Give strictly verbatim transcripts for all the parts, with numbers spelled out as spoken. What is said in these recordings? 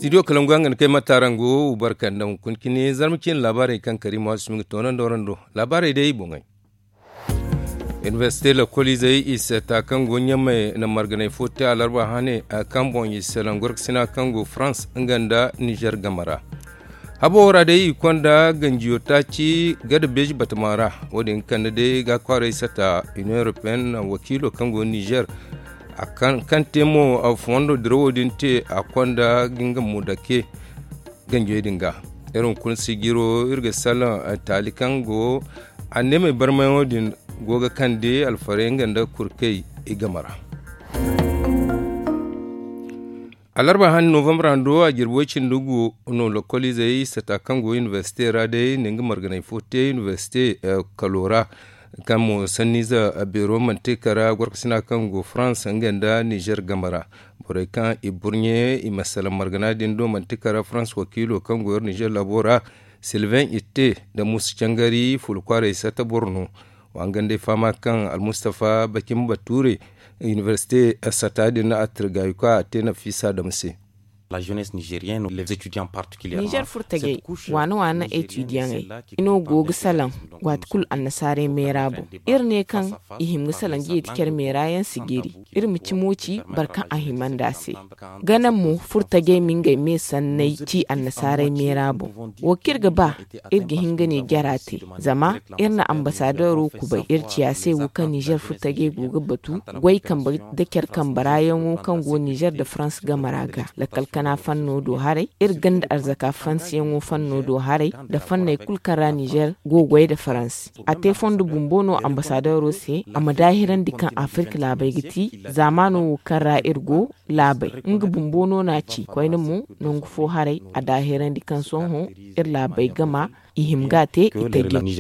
Studio kalangu yaŋ ga ni kay matarango barka nda hunkuna cine zarma ciine laabaarey kaŋ kariima waati sumi ga toonandi warando. Laabaarey day boŋey. Inibersite lakkoliizey i seeta kaŋ go ɲamey na marganay fo te alarba hane kaŋ boŋ i salaŋ gorkasina kaŋ go farans nga nda nizer game ra. Habo ra day i konda ganjiyo taaci gada beeji batama ra. Wo- din kande day ga kwaaray sata union europeenne wakiilo kaŋ go nizer. Kaŋ te mo fondo dirawo din te a konda ga nga mo dake ganjey din ga. Iri hunkuna sijiro iri ga salaŋ taali kaŋ go anneemey barmayaŋo din go ga kande alfarey nga nda kurkey i game ra. Alarba han novambar hando a jirbi way cindi gu no lokoliizey sata kaŋ go inibersite ra day na nga marganay fo te inibersite kalo ra. Kaŋ mo sanniize beero manti kara gorkasina kaŋ go farans nga nda nizer game ra. Borey kaŋ i burɲe i ma salaŋ margana din do manti kara farans wakiilo kaŋ go iri nizer laabo ra. Silven itte nda musa cangari fula kwaaray sata boro no. Wa nga nda ay fahama kaŋ almustafa bakin bature inibersite sata din a tirgayu kaŋ a te nafisa dama se. Nizer furtajey waana waana etudiyaŋey i no go ga salaŋ waati kulu annasaarey meera boŋ. Iri ne kaŋ i hima ga salaŋ jeeti care meera yaŋ si giri. Iri ma cimo ci boro kaŋ a hima nd'a se. Ganaŋ mo furtajey ma ngey me sanney ci annasaarey meera boŋ. Wo kaŋ iri ga ba iri ga hin ga ne jara te. Zama iri na ambasadeero kubay iri ciya se wo kaŋ nizer furtajey go ga batu goy kambe nda care kambe ra yaŋo kaŋ go nizer nda farans game ra ga lakkal kana fanno do haray iri ganda arzaka farans yaŋo fanno do haray nda fanney kulu kaŋ ra nizer go goy nda farans. A te fondo bumbo no ambasadeero se a ma daahirandi kaŋ afirka laabey ga ti zaamaano wo kaŋ ra iri go laabey nga bumbo no n'a ci koyne mo nangu fo haray a daahirandi kaŋ sohõ iri laabey gama i hima ga a te i taji.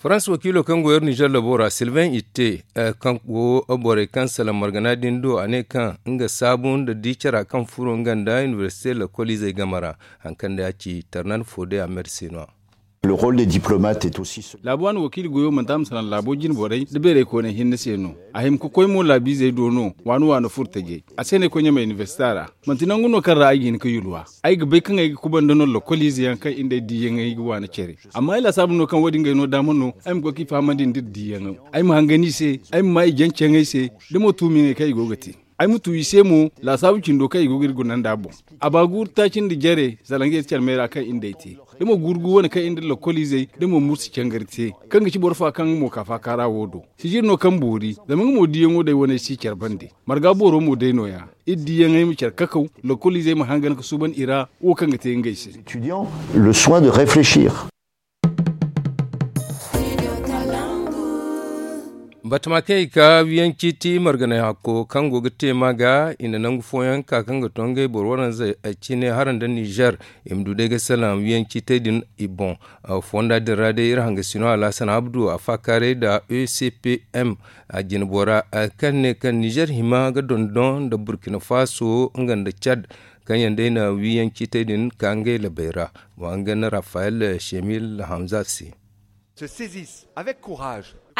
Farans wakiilo kaŋ go iri nizer labo ra silvain itte kaŋ go borey kaŋ salaŋ margana din do a ne kaŋ nga saabu nda di cara kaŋ furo nga nda inibersite lakoliizey game ra. Hari kaŋ day a ci tarnan fo day a merse no- ya. Laabu waani wakiili goyo manti a ma salaŋ laabo jine borey nda beerey kooney hinne se no. A hima ga koy mo laabiizey do no waani waani furtajey a se no ay koy ɲamey inibersita ra. Manti nangu no kaŋ ra ay ga hin ga yulwa. Ay ga bay kaŋ ay ga kubanda no lokoliize yaŋ kaŋ iri nd'ey diiyaŋey ga waani care. Amma ay laasaabu no kaŋ wo- din ngey no daama no ay ma koy ga i fahamandi nda iri diiyaŋo. Ay ma hangan i se. Ay ma maa i janceyaŋey se. Da mo tuumiyaŋey kaŋ i go ga te. Ay ma tu i se mo laasaabu cindo kaŋ i go ga iri guna nd'a boŋ. A ba guuru taaci nda jare salaŋ ga yeeti care meera kaŋ iri nd'ey te. Da mo guuru gu wane kaŋ iri nda lokoliizey da mo mursi cangari te kaŋ ga ci boro fa kaŋ nga mo ka faakaara wo do. Sijir no kaŋ boori zama nga mo diiyaŋo day waney si care bande. Marga booro mo day nooya. Iri diiyaŋey ma care kakaw. Lokoliizey ma hangan ga suuban i ra wo kaŋ ga te ngey se. Le soin de réfléchir. Batama kaŋ i ka wiyaŋ ciiti marganay hakko kaŋ go ga te ma ga i na nangu fooyaŋ ka kaŋ ga to ngey boro waranza cine hara nda nizer. I ma du day ga salaŋ wiyaŋ ciitey din i boŋ. Fonda din ra day iri hangasino alhasan abdu a faakaaray nda e c p m a jine bora kaŋ ne kaŋ nizer hima ga dondon nda burkina faso nga nda cad kaŋ yaŋ day na wiyaŋ ciitey din ka ngey labey ra. Wa nga na rafael shemil hamza se.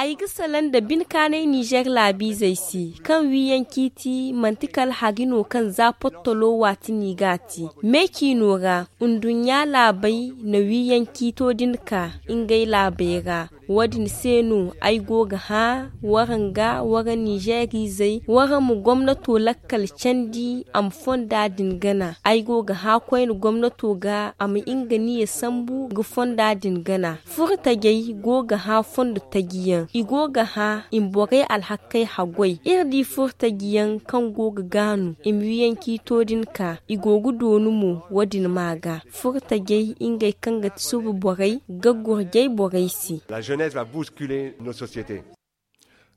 Ay ga salaŋ nda binkaanay nizer laabiizey se kaŋ wiyaŋ ciiti manti kala hari no kaŋ za pottolo waati no i g'a te. Meecino ra nduɲɲa laabey na wiyaŋ ciito din ka ngey laabey ra. Wo- din se no ay go ga hã waraŋ ga wara nizeeriizey wara ma gomnato lakkal candi a ma fonda din gana. Ay go ga hã koyne gomnato ga a ma nga niya sambu ga fonda din gana. Furo tajey go ga hã fondo taji yaŋ i go ga hã i ma borey alhakkey haggoy iri di furo taji yaŋ kaŋ go ga gaanu i ma wiyaŋ ciito din ka i go ga doonu mo. Wo- din ma ga furo tajey ngey kaŋ ga ti suba borey ga gurjay borey se.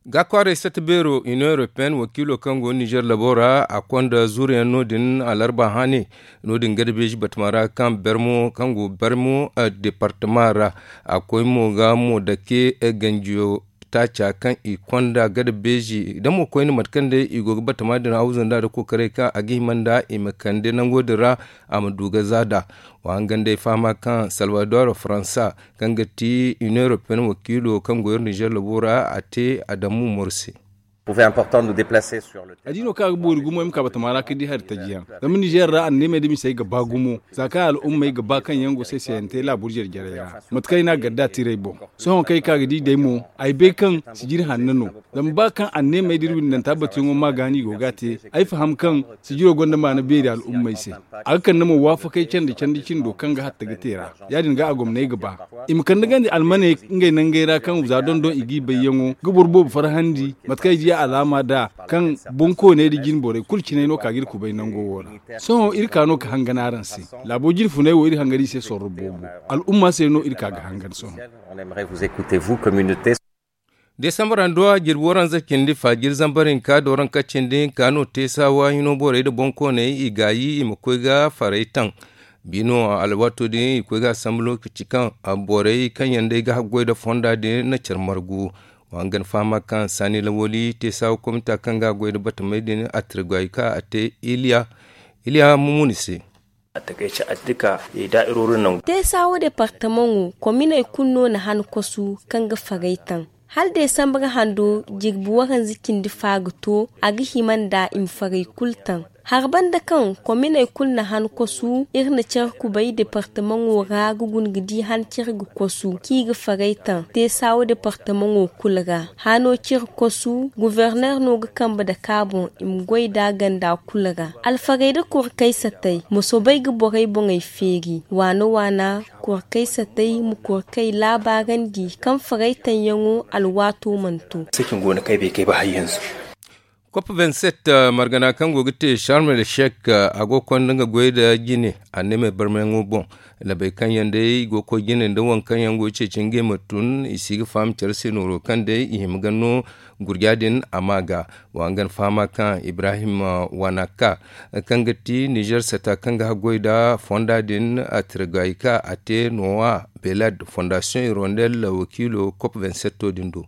Ga kwaaray sata beero union europeenne wakiilo kaŋ go nizer labo ra a konda zuuriyaŋ no- din alarba hane. No- din gada beeji batama ra kaŋ bermo kaŋ go bermo departama ra a koy mo ga mo dake ganjiyo taaca kaŋ i konda gada beeji da mo koyne mate kaŋ day i go ga batama din hawza nda da kokaray kaŋ a ga hima nda i ma kande nango din ra. A ma du ga za da wa hangan day fahama kaŋ salvador faransa kaŋ ga ti union europeenne wakiilo kaŋ go iri nizer labo ra a te adamu mor se. A di no kaŋ a ga boori gumo ay ma ka batama ra ka di hari taji yaŋ. Zama nizeer ra anneemey da misey ga ba gumo, za kaŋ al'ummey ga ba kaŋ yaŋ go say sayante laabur jare jarey ra. Mate kaŋ ay n'a gar da tiray boŋ, sohõ kaŋ ay ka ga di day mo, ay bay kaŋ sijiri hanno no. Zama ba kaŋ anneemey da iri windanta batuyaŋo ma gaani i go ga a te, ay faham kaŋ sijiro gonda maana beeri al'ummey se. A ga kande mo waafakay candi candi cindo kaŋ ga hatta ga te ra. Ya- din ga a gomney ga ba i ma kande gandi almaney ngey nangey ra kaŋ za dondon i g'i bayyaŋo ga boro boobo farhandi. Mate kaŋ ay di alaama nd'a kaŋ bonkooney nda jine borey kulu cinay no ka ga iri kubay nango wo ra. Sohõ iri ka no ga hangan araŋ se. Laabo jine funay wo iri hangan i se sorro boobo. Al'umma se no iri ka ga hangan sohõ. Desambar handuwa jirbi waranza cindi fa jiri zambar hinka da waranka cindi hinka no te saawa hino borey nda bonkooney i gaayi i ma koy ga faray taŋ. Bino alwaato din i koy ga a sambu lokaci kaŋ borey kaŋ yaŋ day ga haggoy nda fonda din na care margu. Wa hangan fahama kaŋ saani lawali te saawa komita kaŋ ga a goy nda batamey din a tirgay ka a te iliya iliya mumuni se. Teesawo departamaŋo kominey kulu no na han kosu kaŋ ga farey taŋ. Hala desambar hando jirbi waranza cindi fa ga to a ga hima nda i ma farey kulu taŋ. Hara banda kaŋ kominey kulu na han kosu iri na care kubay departamaŋo ra ga guna ga di han care ga kosu kaŋ i ga farey taŋ teesawo departamaŋo kulu ra. Hano care kosu goforner no ga kambe dake a boŋ i ma goy nd'a ganda kulu ra. Alfarey nda korkey satey ma soobay ga borey boŋey feeri waana waana. Korkey satey ma korkey laabaarandi kaŋ farey taŋyaŋo alwaato mana to. Kop vingt-sept margana kaŋ go ga te sharm el sheikh a go ga konda nga goy nda jine anneemey barmayaŋo boŋ. Labey kaŋ yaŋ day i go ga koy jine nda waŋ kaŋ yaŋ go ga ceeci ngey ma tun i si ga faham care se nooro kaŋ day i hima ga no gurja din a ma ga. Wa nga na fahama kaŋ ibrahim wanaka kaŋ ga ti nizer sata kaŋ ga haggoy nda fonda din a tirgay ka a te nowa belad fondasiyoŋ irondel wakiilo kop vingt-sept din do.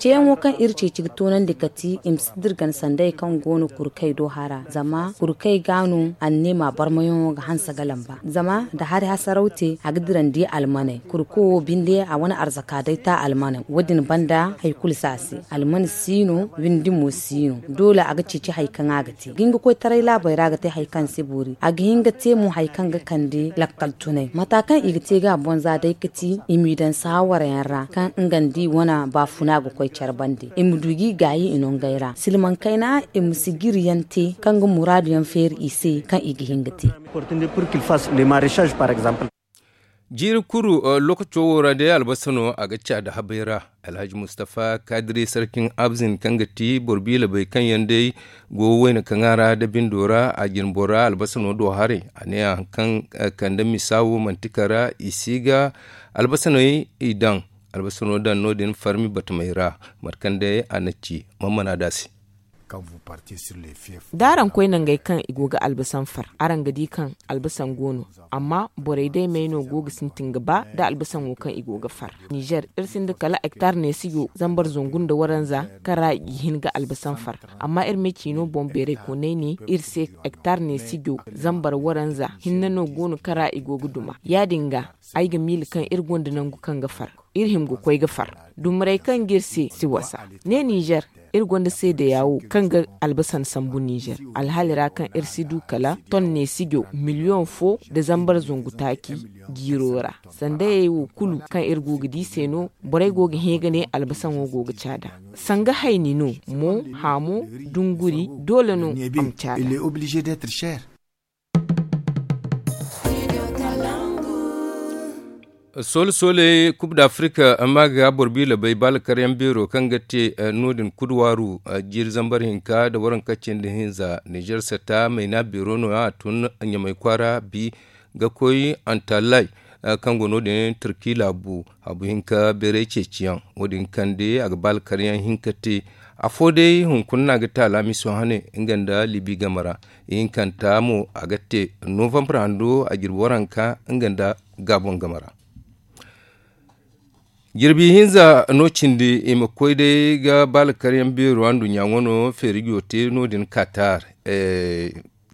Ceeyaŋo kaŋ iri ceeci ga toonandi kati i ma si dirgan sanday kaŋ go no kurkey do hara zama kurkey ga no anneema barmayaŋo ga hanse ga lamba zama nda hari hasaraw te a ga dirandi almaney kurko wo binde a wane arzaka day ta almaney wo- din banda hari kulu si a se. Almane si no windi mo si no doole a ga ceeci hari kaŋ a ga te ga hin ga koy taray laabey ra ga te hari kaŋ si boori a ga hin ga te mo hari kaŋ ga kande lakkal tunay mata kaŋ i ga te ga a boŋ za day ga ti i m'i daŋ saawara yaŋ ra kaŋ nga nda i wane baafuna ga koy care bande i ma du ga i gaayi i nongey ra silmaŋ kayna i ma si jiri yaŋ te kaŋ ga muraadu yaŋ feeri i se kaŋ i ga hin ga te. Jiiri kulu lokaco wo ra day albasa no a ga ca da habay ra. Alhaji mustafa kadiri sarkin abzin kaŋ ga ti boro biila bay kaŋ yaŋ day go wayna kaŋa ra da bindo ra a jinbo ra albasa no do haray a ne a haŋ kaŋ kande misa wo manti kara i si ga albasa no i daŋ. Albasa no daŋ no- din farmi batamay ra mate kaŋ day a na ci. Mammana da se. Da araŋ koy nangey kaŋ i go ga albasaŋ far araŋ ga di kaŋ albasaŋ go no. Amma borey day may no go ga sintin ga ba nda albasaŋo kaŋ i go ga far. Nizer iri sinda kala hektar neesijo zambar zangu nda waranza kaŋ ra i ga hin ga albasaŋ far. Amma iri me ciino boŋ beeray koonay ne iri se hektar neesijo zambar waranza hinne no go no kaŋ ra i go ga duma ya- din ga ay ga miila kaŋ iri gonda nangu kaŋ ga far. Iri hima ga koy ga far dumarey kaŋ ga iri se si wasa. Ne nizer iri gonda seedeya wo kaŋ ga albasan sambu nizer alhali ra kaŋ iri si du kala ton neesijo miliyoŋ fo nda zambar zangu taaci jiiro ra. Sandayey wo kulu kaŋ iri go ga di se no borey go ga hẽ ga ne albasaŋo go ga caada. Sanga hayni no mo haamo dunguri doole no a ma caada. Soole soole kub da afirika amma ga boro biila bay baala karyaŋ beero kaŋ ga te no- din kuduwaaru jiiri zambar hinka nda waranka cindi hinza nizer sata mayna beero no- ya a tun ɲamay kwaara bi ga koy antalay kaŋ go no- din turki laabu habu hinka beeray ceeciyaŋ wo- din kande a ga baala karyaŋ hinka te. Afo day hunkuna no a ga te alaamiso hane nga nda libi game ra. Ihinkanta mo a ga te novambar hando a jirbi waranka nga nda gaabon game ra. Jirbi hinza no cindi i ma koy day ga baala karyaŋ beero anduɲɲa wano feerijo te no- din katar.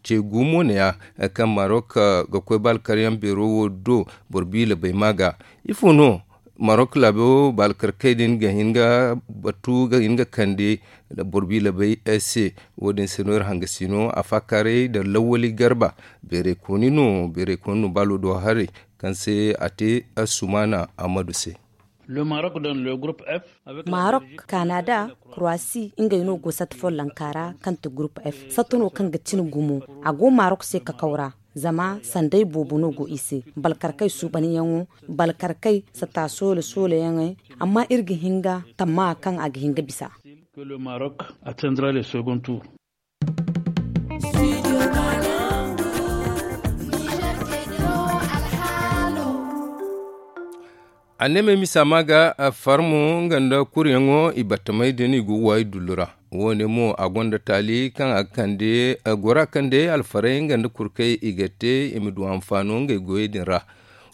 Ce gumo ne- ya kaŋ marok ga koy baala karyaŋ beero wo do boro biila bay ma ga ifo no? Marok laabo baalkarkey din ga hin ga batu ga hin ga kande boro bi labay se. Wo- din se no iri hanga sino a faakaaray da lawwali garba beeray kooni no beeray kooni no baalo do haray kaŋ se a te assumaana ammadu se. Marok, kanada, kroasi ngey no go satta follonka ra kaŋ ti gurup f satta no kaŋ ga cine gumo. A go marok se kakaw ra zama sanday boobo no go i se. Balkarkey suubanyaŋo balkarkey satta soole soole yaŋey. Amma iri ga hin ga tamma kaŋ a ga hin ga bisa. Anneemey misa ma ga farmo nga nda kuryaŋo i battamey din i go waayi dullu ra. Wo- ne mo a gonda taali kaŋ a ga kande gora kaŋ day alfarey nga nda kurkey i ga te i ma du hanfaano ngey goyey din ra.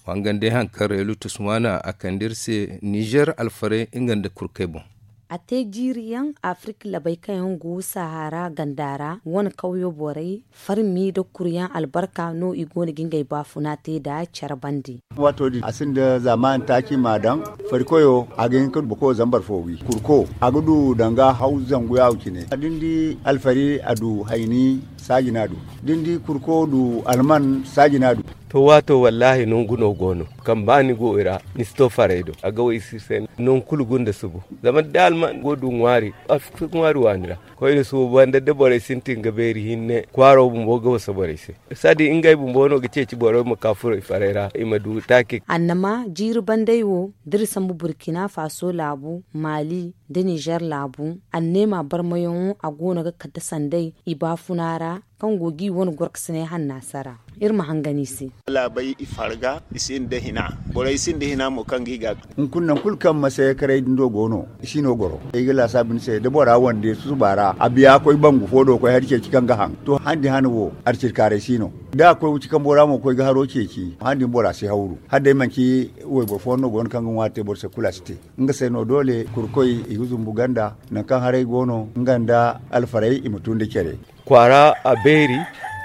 Wa nga nda ay haŋ kaŋ reelu tusmaana a kande iri se nizer alfarey nga nda kurkey boŋ. A te jiiri yaŋ afirik labay kaŋ yaŋ go sahara ganda ra wane kawyo borey farmi nda kuryaŋ albarka no i go no ga ngey baafuna te nda care bande. Waato din a sinda zaaman taaci ma daŋ farikoyo a ga hin ka du boro zambar fo wi kurko a ga du danga haw zangu yaawo cine da ni di alfari a du hayni saaji no a du da ni di kurko du alman saaji no a du. To waato wallaahi nangu no go no kaŋ ba ni go i ra ni si to farey do a ga wo i si se nangu kulu gunda subu. Zama da alman go du ŋwaari a si ŋwaari waani ra koyne suuban da borey sintin ga beeri hinne kwaaro bumbo ga wasa borey se. Sadi ngey bumbo no ga ceeci borey ma ka furo i farey ra i ma du taaki. Annama jiiri bandey wo da iri sambu burkina faso laabu maali nda nizer laabu anneema barmayaŋo a go no ga kate sanday i baafuna ra kaŋ go ga i wane gorkasiney hannaasa ra. Iri ma hangan i se. Laabey i farga i sinda hina borey sinda hina mo kaŋ ga i ga. Hunkuna nangu kulu kaŋ masayakaray din do go no i si no goro ay ga laasaabu ni se da bora wande susuba ra a biya koy bangu fo do koy hari ceeci kaŋ ga haŋ to handi hana wo arcirkaaray si no. Da a koy wuci kambo ra mo ga koy ga haro ceeci handi bora si hawru hala day manci wayboro fooyaŋ no go no kaŋ ga ŋwaari te boro se kulu a si te. Nga se no doole kurkoy i ga zumbu ganda nangu kaŋ haray go no nga nda alfarey i ma tun da care. Kwaara a beeri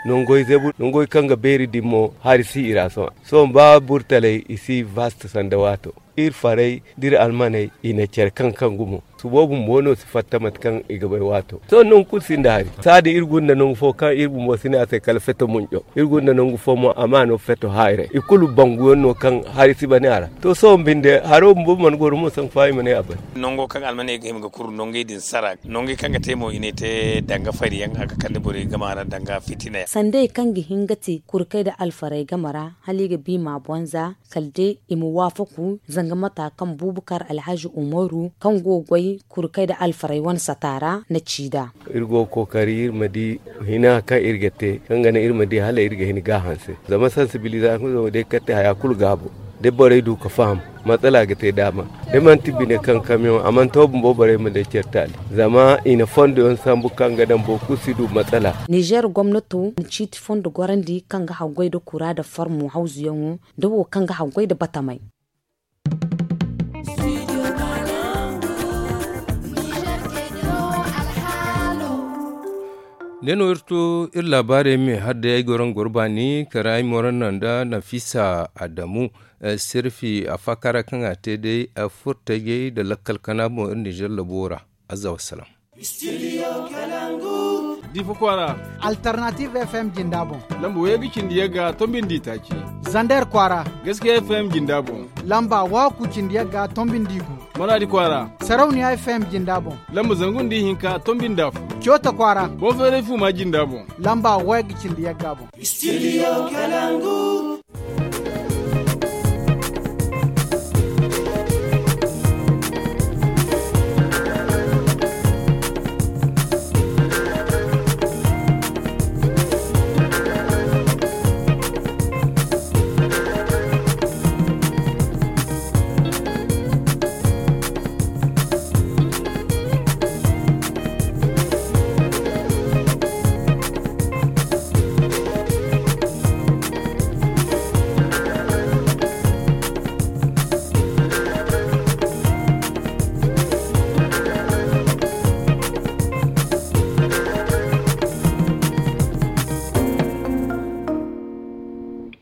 nangoy zebu nangoy kaŋ ga beeri din mo hari si i ra sohõ. Sohõ ba burtaley i si vaste sanda waato iri farey da iri almaney i na care kaŋ kaŋ gumo. Subo bumbo no si fatta mate kaŋ i ga bay waato sohõ nangu kulu sinda hari. Saadi iri gunda nangu fo kaŋ iri bumbo si ne a se kala feto munco iri gunda nangu fo mo a ma no feto haayiray i kulu banguyaŋ no kaŋ hari si bane a ra. To sohõ binde haro bumbo mana goro mo sanku fa i ma ne a bane. Nango kaŋ almaney ga hima ga kuru nangey din sara nangey kaŋ ga te mo i ne te danga fariyaŋ a ga kande borey game a ra danga fitina yaŋ. Sanday kaŋ ga hin ga te kurkey nda alfarey game ra hala i ga bi ma bonza kala day i ma waafaku zanga mata kaŋ bubukar alhazi umaru kaŋ go ga goy kurkey nda alfarey wane sata ra na ci nd'a. Iri go ga kookari iri ma di hina kaŋ iri ga te kaŋ ga naŋ iri ma di hala iri ga hin ga a hanse zama sansibilizasiyoŋo day kaŋ te haya kulu gaabo da borey du ga faham. Matsala ga te daama da manti bine kaŋ kamiyoŋ a mana to bumbo borey ma day care taali zama i na fondo yaŋ sambu kaŋ ga daŋ boro kulu si du matsala. Nizer gomnato na ciiti fondo gorandi kaŋ ga haggoy nda kura nda farmo hawzuyaŋo nda wo kaŋ ga haggoy nda batamey. Ne no iri to iri laabaarey me hala day ay goro nga goro baani kara ay moranna nda nafisa adamu. Sirfi a faakara kaŋ a te day furtajey nda lakkal kana boŋ iri nizer labo ra. Azza wassalam. Difa kwaara. Alternative fm jinda boŋ. Lamba wayga cindi yagga tombindi taaci. Zander kwaara. Gaskiya fm jinda boŋ. Lamba waaku cindi yagga tombindi gu. Maradi kwaara. Sarauniya fm jinda boŋ. Lamba zangu nda ihinka tombindi afo. Coota kwaara. Boŋ feeray fuma jinda boŋ. Lamba wayga cindi yagga boŋ. Studio kalangu.